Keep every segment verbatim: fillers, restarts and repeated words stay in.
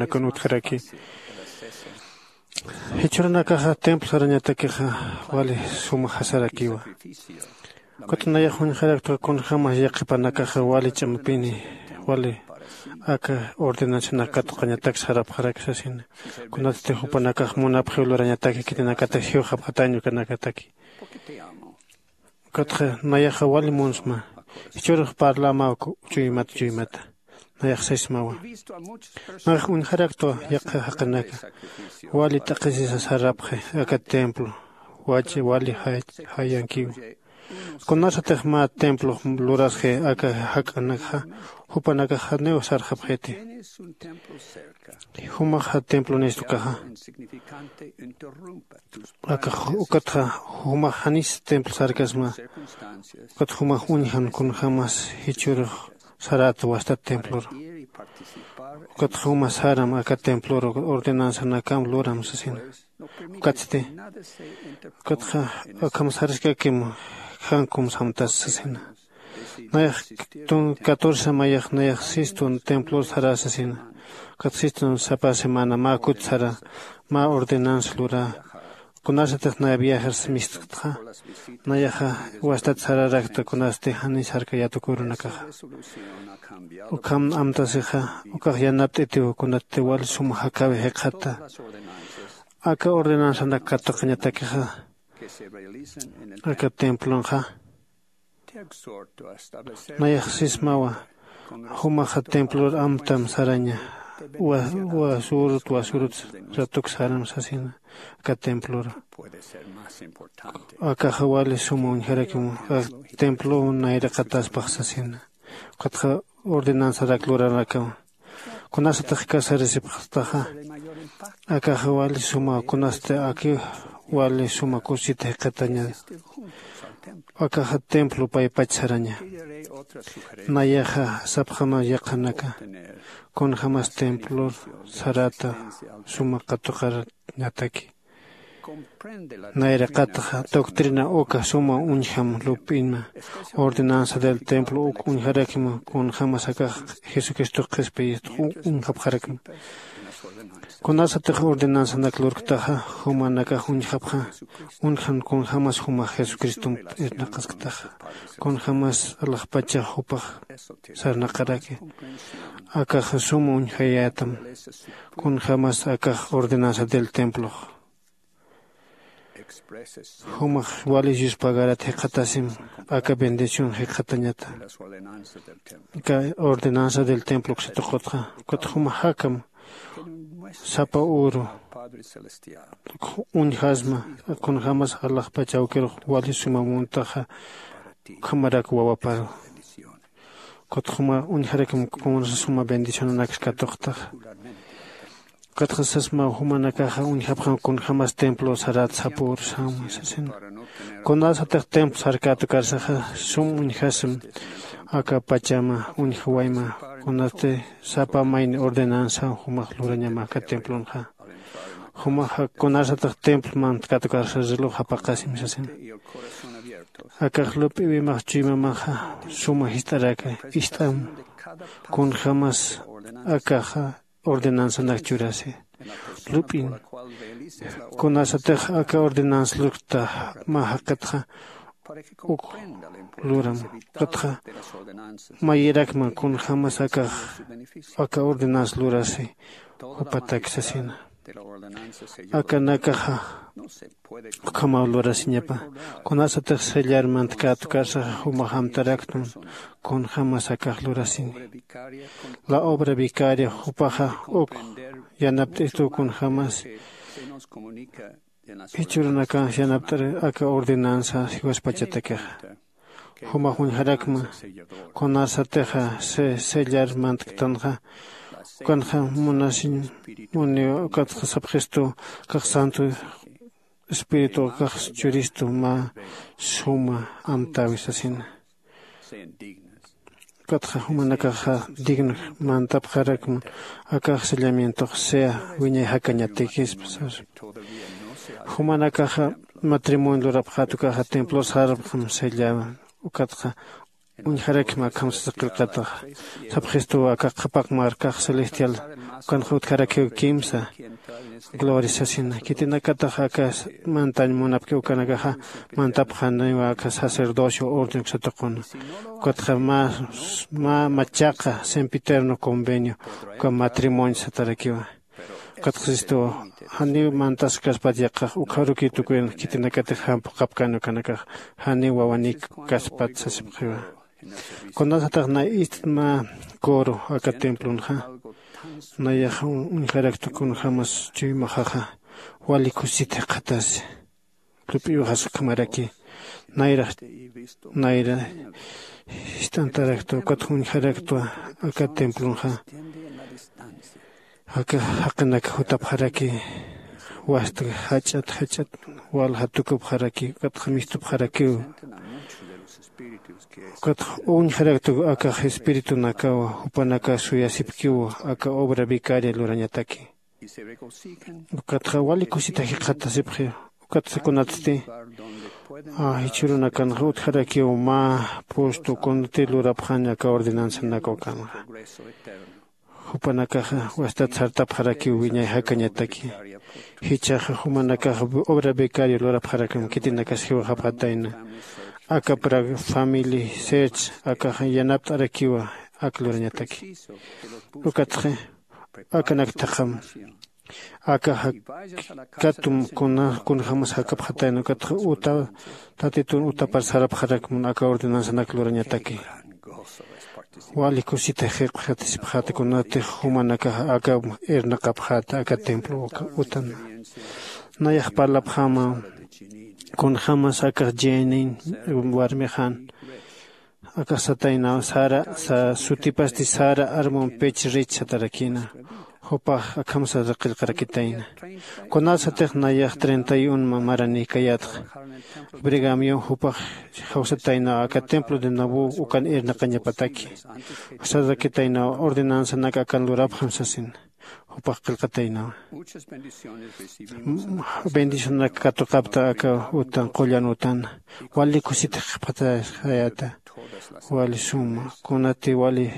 jumanakun utjaraki. Jichhürunakaxa templo sarañatakixa wali suma jasarakiwa. Ukat nayax uñjaraktwa kunjämas yaqhipanakaxa wali ch'amapini wali aka ordenanzanak katuqañatak sarapxaraki sasina. Kunatsti jupanakax munapxiw lurañataki khitinakatix jiwxapxatañ ukanakataki. Ukatxa nayaxa wali munsma. Jichhürux parlämaw chuymat chuymata. Nayax sismawa. Nayax uñjaraktwa yaqha jaqinaka wali t'aqhisisa sarapxi aka templo. Wachi wali jay- jayankiw. Kunasatix mä templox lurasxi aka jak'anakxa jupanakax janiw sarxapxiti. Jumaxa templonïstu ukaxa. Akax ukatxa jumax janis templo sarkasma. Ukat jumax uñjan kunjämas jichhürux saräta wastat templor. Ukatxa jumax saram aka templor ordenanzanakam luram sasina. Ukatsti ukatxa akham saraskakim jan kum samtas sasina. Nayax tun catorce mayax nayax sistun templor sarä sasina. Ukat sistun sapa semana mä kut sarä mä ordenanza lurä. Kunasatix naya viajar mistkta nayaxa wastat sararakta kunasti janis jarkayät uka urunakaxa. Ukham amtasixa ukax yanapt'itiw kunatti wal suma jakäwi jikxata. Aka ordenanzanak katuqañatakixa aka templonxa nayax sismawa. Jumaxa templor amtam saraña. Wasurut wasurut ratuk saram sasina aka templor. Akaxa wali suma uñjarakimu. Templo nayraqataspax sasina. Ukatxa ordenanzarak lurarakawa. Kunasatix kasarisipxtaxa akaxa wali suma kunasti aki wali suma kusita jikxataña. Akaxa templo paypach saraña. Nayaxa sapxama yaqhanaka kunjämas templor saräta suma katuqarañataki. Nayraqatxa doctrina uka suma uñjam lup'inma. Ordenanza del templo uk uñjarakma kunjämas akax jesucristox qhispiyist uñjapxarakma. Kunasatix ordenanzanak lurktaxa jumanakax uñjapxa. Uñjan kunjämas jumax jesucristomp irnaqasktaxa kunjämas alaxpachax jupax sarnaqaraki. Akaxa suma uñjayätam kunjämas akax ordenanza del templox. Jumax wali yuspagarat jikxatasim aka bendición jikxatañata. Aka ordenanza del templo uksatuqutxa ukat jumax jakam sapa uru uñjasma. Kunjämas alaxpach awkirux wali suma muntaxa ukhamarak wawaparu. Ukatxa juma uñjarakim kunsa suma bendicionanaksa katuqtaxa. Ukatxa sasma jumanakaxa uñjapxam kunjämas templo sarat sapür sawma sasina. Kunasatix templo sarkätukarsaxa sum uñjasim aka pachama uñjawayma. Kunasti sapa mayni ordenanza jumax lurañama aka templonxa. Jumaxa kunasatix templo mantkatukarsa reloj japaqasim sasina. Akax lup'iwimax chuymamaxa suma jist'araka ist'am kunjämas akaxa ordenanzanak churasi lup'in. Kunasatix aka ordenanza lurkta mä jaqitxa uk luram. Ukatxa mayirakma kunjämas akax aka ordenanza lurasi jupatak sasina. Akanakaxa ukhamaw lurasiñapa. Kunasatix sellar mantkät ukarsaxa jumax amtaraktun kunjämas akax lurasini. La obra vicaria jupaxa uk yanapt'istu kunjämas jichhürunakax yanapt'ar aka ordenanza jiwaspachatakixa. Jumax uñjarakma kunasatixa sellar mantktanxa ukanxa munasiñ muniw. Ukatxa sapxistu akax santo espíritu akax churistu mä suma amtäwi sasina. Ukatxa jumanakaxa digno mantapxarakma akax sellamientox sea wiñay jakañatikispa sasa. Jumanakaxa matrimonio lurapxät ukaxa templo sarpxam sellaba. Ukatxa uñjarakma akham sasa qillqataxa. Sapxistuw aka qhapaq markax celestial ukanxa utjarakiw kimsa gloria sasina. Khitinakatax aka mantañ munapki ukanakaxa mantapxaniwa aka sacerdocio orden uksatuquna. Ukatxa mä mä machaqa sempiterno convenio uka matrimonio satarakiwa. Ukatxa sistuw janiw mantaskaspat yaqax ukxarukiw tukuyan khitinakatix jan phuqhapkani ukanakax janiw wawanik kaspat sasipxiwa. Kunasatix na ist'ma coro aka templonxa nayax uñjaraktu kunjämas chuymaxaxa wali kusit jikxatasi. Lup'iwxas ukhamaraki nayrax nayra jist'antaraktwa ukat uñjaraktwa aka templonxa. Aka jaqinak jutapxaraki wasta jach'at jach'at walja tukupxaraki ukatxa mistupxarakiw. Ukatxa uñjaraktu akax espiritunakaw jupanakax suyasipkiw aka obra vicaria lurañataki. Ukatxa wali kusita jikxatasipxi. Ukatsa kunatsti jichhürunakanxa utjarakiw mä pustu kunati lurapxani aka ordenanzanaka ukanxa. Jupanakaxa wastat sartapxarakiw wiñay jakañataki. Jichhaxa jumanakaxa obra vicario lurapxarakam khitinakas jiwaxapxatayna. Aka pra family search akaxa yanapt'arakiwa ak lurañataki. Ukatxi akanaktaxam aka jakatum kunjämas jakapxatayna ukatxa uta tatitun utapar sarapxarakmun aka ordenanzanak lurañataki. Wali kusita jikxatasipxäta kunatix jumanakax aka irnaqapxäta aka templo utan. Nayax parlapxäma kunjämas akax jenin warmixan akax sataynaw sara sutipasti sara armon pech rich satarakïna. Jupax akham sasa qillqarakitayna. Kunasatix nayax treinta y un maranïkayätxa brigamion jupax jawsataynaw aka templo de nabu ukan irnaqañapataki. Sarakitaynaw ordenanzanak akan lurapxam sasina. Jupax qillqataynawa. Bendicionanak katuqapta aka utan qullan utan wali kusit jikxatasayäta. Wali suma kunati wali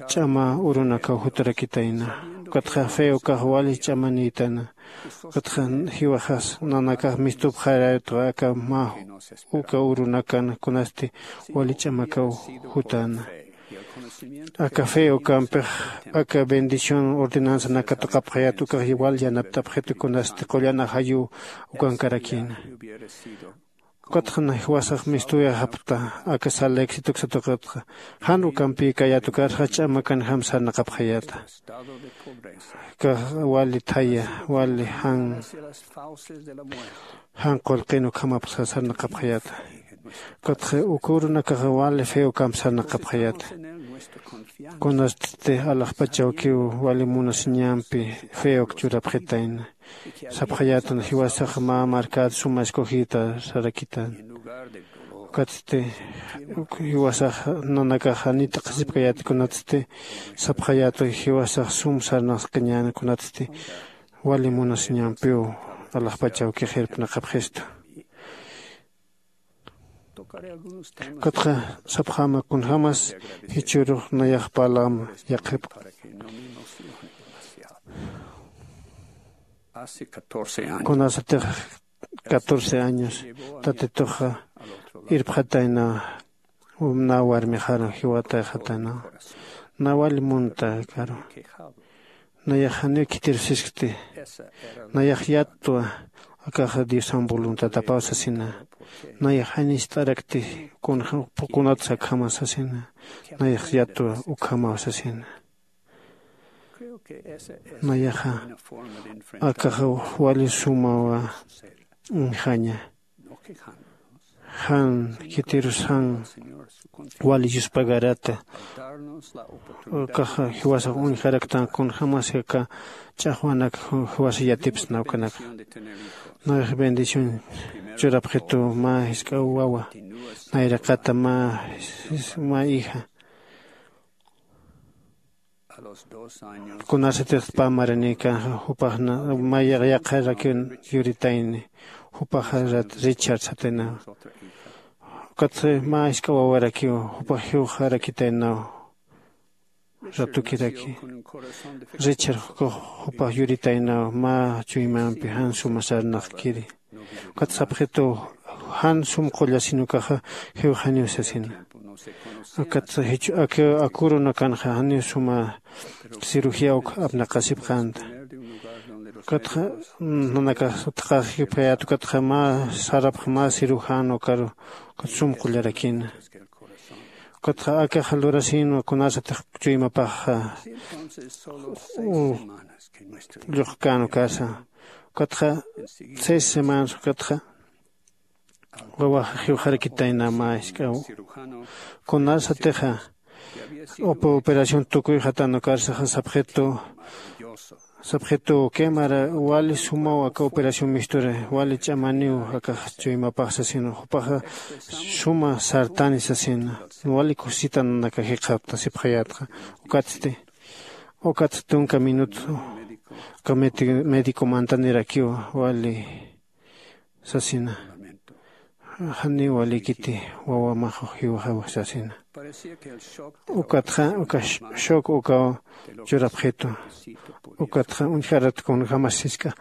ch'ama urunakaw jutarakitayna. Ukatxa fe ukax wali ch'amanïtana. Ukatxa jiwaxas nanakax mistupxarayätwa aka mä uka urunakan kunasti wali ch'amakaw jutäna. Aka fe ukampix aka bendición ordenanzanak katuqapxayät ukax wal yanapt'apxitu kunasti qullan ajayuw ukankarakïna. Ukatxa jiwasax mistuyäxapxta aka sal éxito uksatuqatxa jan ukampïkayät ukarxa ch'amakanjam sarnaqapxayäta. Ukax wali thaya wali jan jan qullqin ukhamapxa sarnaqapxayäta. Ukatxa uka urunakaxa wali fe ukamp sarnaqapxayäta. Kunasti alaxpachawkiw wali munasiñampi fe uk churapxitayna. Sapxayätan jiwasax mä markät suma escogida sarakitan. Ukatsti jiwasax nanakax janit t'aqhisipkayät kunatsti sapxayätu jiwasax sum sarnaqskiñäna kunatsti wali munasiñampiw alaxpachawkix irpnaqapxistu. Ukatxa sapxäma kunjämas jichhürux nayax parlam yaqhipxi. Kunasatix catorce años tatituxa irpxatayna. Nä warmixaru jiwatayxataynawa. Nä wali munta karu nayax janiw khitirusiskti. Nayax yattwa akaxa diosan voluntadapaw sasina. Nayax janist'arakti kunatsa akhama sasina. Nayax yattwa ukhamaw sasina. Nayaxa akaxa wali sumawa uñjaña. Jan khitirus jan wali yuspagarata. Akaxa jiwasax uñjaraktan kunjämasi aka ch'axwanak jiwasa yatipsna ukanaka. Nayax bendición churapxitu mä jisk'a wawa nayraqata mä mä hija. Kunasatix pä maranïkanxa jupax mä yaqharakiw yuritayni. Jupaxa rat richard sataynaw. Ukatxa mä jisk'a wawarakiw jupax jiwxarakitaynaw. Ratukiraki richard jukax jupax yuritaynaw mä chuymampi jan suma sarnaqkiri. Ukat sapxitu jan sum qullasin ukaxa jiwxaniw sasina. Ukat jichhu akiw akurunakanxa janiw suma cirugía uk apnaqasipxänta. Ukatxa nanakax utqaxipayät ukatxa mä sarapx mä cirujano karu ukat sum qullarakina. Ukatxa akaxa lurasinwa kunasatix chuymapaxxa lluqkän ukasa. Ukatxa seis semanas ukatxa wawaxa jiwxarakitayna mä jisk'aw. Kunasatixa upa operación tukuyxatan ukarsaxa sapxitu sapxitu quemara wali sumaw aka operación mistura wali ch'amaniw akax chuymapax sasina jupaxa suma sartani sasina. Wali kusitananaka jikxaptasipxayätxa. Ukatsti ukatsa tunka minuto aka médico mantanirakiw wali sasina. Janiw walikiti wawamax jiwxaw sasina. Ukatxa uka shock ukaw churapxitu. Ukatxa uñjarat kunjämas jisk'a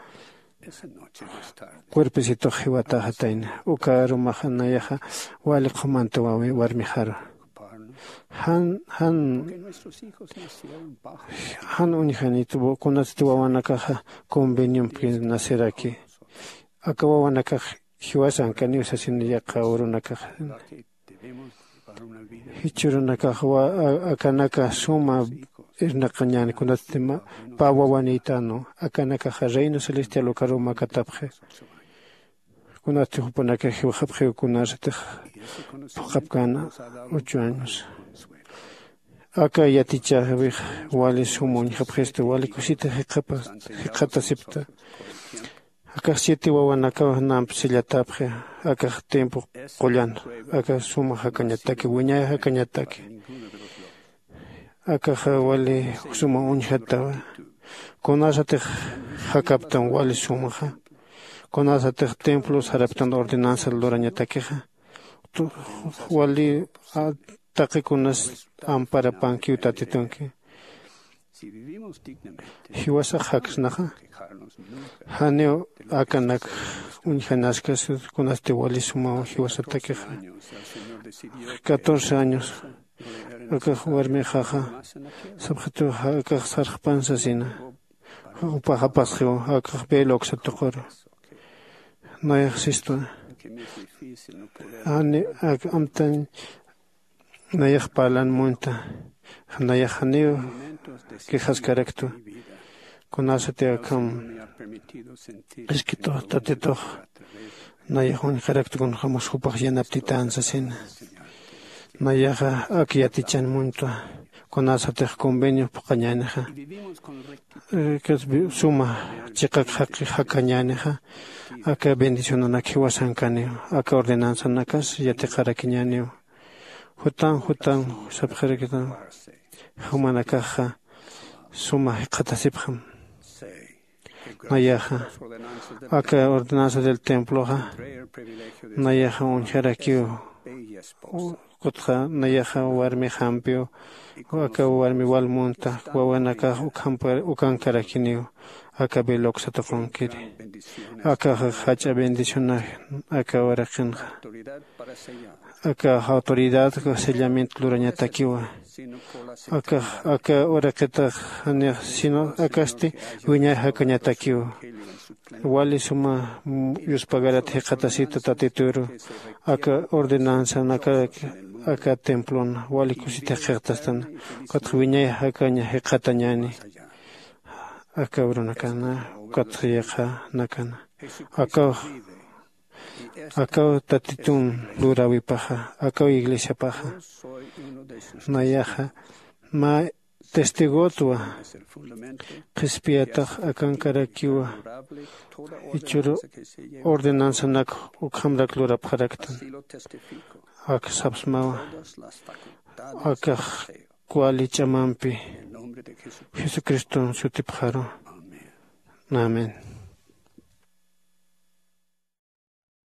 cuerpecitox jiwataxatayna. Uka arumaxa nayaxa wali qhumanta warmixaru. Jan jan jan uñjanit kunatsti wawanakaxa conveniompi naceraki. Aka wawanakax jiwasankaniw sasina yaqha urunakax. Jichhürunakax akanaka suma irnaqañäni kunatsti pä wawanïtänwa. Akanakaxa reino celestial ukaruw makatapxi. Kunatsti jupanakax jiwxapxiw kunasatix phuqhapkäna ocho años. Aka yatichäwix wali sum uñjapxistu wali kusita jikxatasipta. Akax siete wawanakaw namp sillatapxi. Akax tiempo qullan aka suma jakañataki wiñay jakañataki. Akaxa wali suma uñjatawa. Kunasatix jakaptam wali sumaxa kunasatix templo saraptan ordenanza lurañatakixa wali taqi kunas amparapankiw tatitunki. Jiwasax jaksnaxa janiw akanak uñjanaskas kunasti wali sumaw jiwasatakixa. Catorce años akax warmixaxa sapxituxa akax sarxpan sasina. Jupaxapasxiw akax veloxa tuquru nayax sistwa. Jani ak amtañ nayax parlan muñta. Nayax janiw quejaskaraktu. Kunasati akham iskitux tatitux nayax uñjaraktu kunjämas jupax yanaptitän sasina. Nayaxa ak yatichan muñtwa. Kunasatix convenio phuqhañänixa suma chiqak jakañänixa aka bendicionanak jiwasankaniw. Aka ordenanzanakas yatiqarakiñäniw. Jutan jutan sapxarakitan jumanakaxa suma jikxatasipxam. Nayaxa aka ordenanza del temploxa nayaxa uñjarakiw. Ukatxa nayaxa warmixampiw aka warmi wal munta wawanakax ukankarakiniw. Aka veloxa tuqunkiri akaxa jach'a bendicionax aka uraqinxa. Aka autoridad sellamiento lurañatakiwa. Akax aka uraqitax janix sino akasti wiñay jakañatakiwa. Wali suma yuspagarat jikxatasita tatituru aka ordenanzanakarak aka templona wali kusita jikxatastan. Ukatxa wiñay jakaña jikxatañäni aka urunakana ukatxa yaqhanakana. Akaw akaw tatitun luräwipaxa akaw iglesiapaxa nayaxa mä testigotwa. Qhispiyatax akankarakiwa. Jichhüru ordenanzanak ukhamrak lurapxaraktan. Ak sapsmawa akax wali ch'amampi jesucriston sutipxaru. Amén.